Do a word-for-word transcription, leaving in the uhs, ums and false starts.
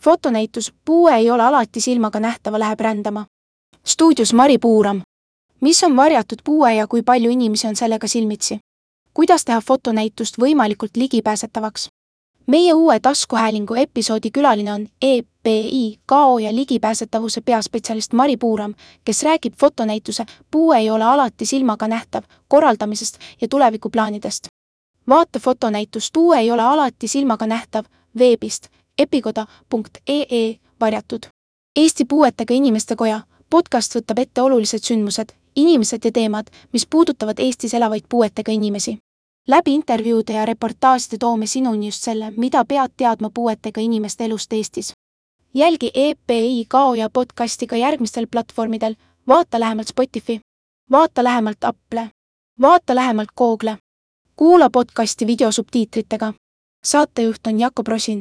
Fotonäitus Puue ei ole alati silmaga nähtava läheb rändama. Stuudios Mari Puuram. Mis on varjatud puue ja kui palju inimesi on sellega silmitsi? Kuidas teha fotonäitust võimalikult ligipääsetavaks? Meie uue taskuhäälingu episoodi külaline on E P I K O ja ligipääsetavuse peaspetsialist Mari Puuram, kes räägib fotonäituse Puue ei ole alati silmaga nähtav korraldamisest ja tulevikuplaanidest. Vaata fotonäitust Puue ei ole alati silmaga nähtav veebist epikoda punkt ee ee varjatud. Eesti Puuetega Inimeste Koja podcast võtab ette olulised sündmused, inimesed ja teemad, mis puudutavad Eestis elavaid puuetega inimesi. Läbi intervjuude ja reportaaside toome sinuni just selle, mida pead teadma puuetega inimeste elust Eestis. Jälgi E P I K O ja podcasti ka järgmistel platvormidel, vaata lähemalt Spotify, vaata lähemalt Apple, vaata lähemalt Google, kuula podcasti videosubtiitritega. Saatejuht on Jakob Rosin.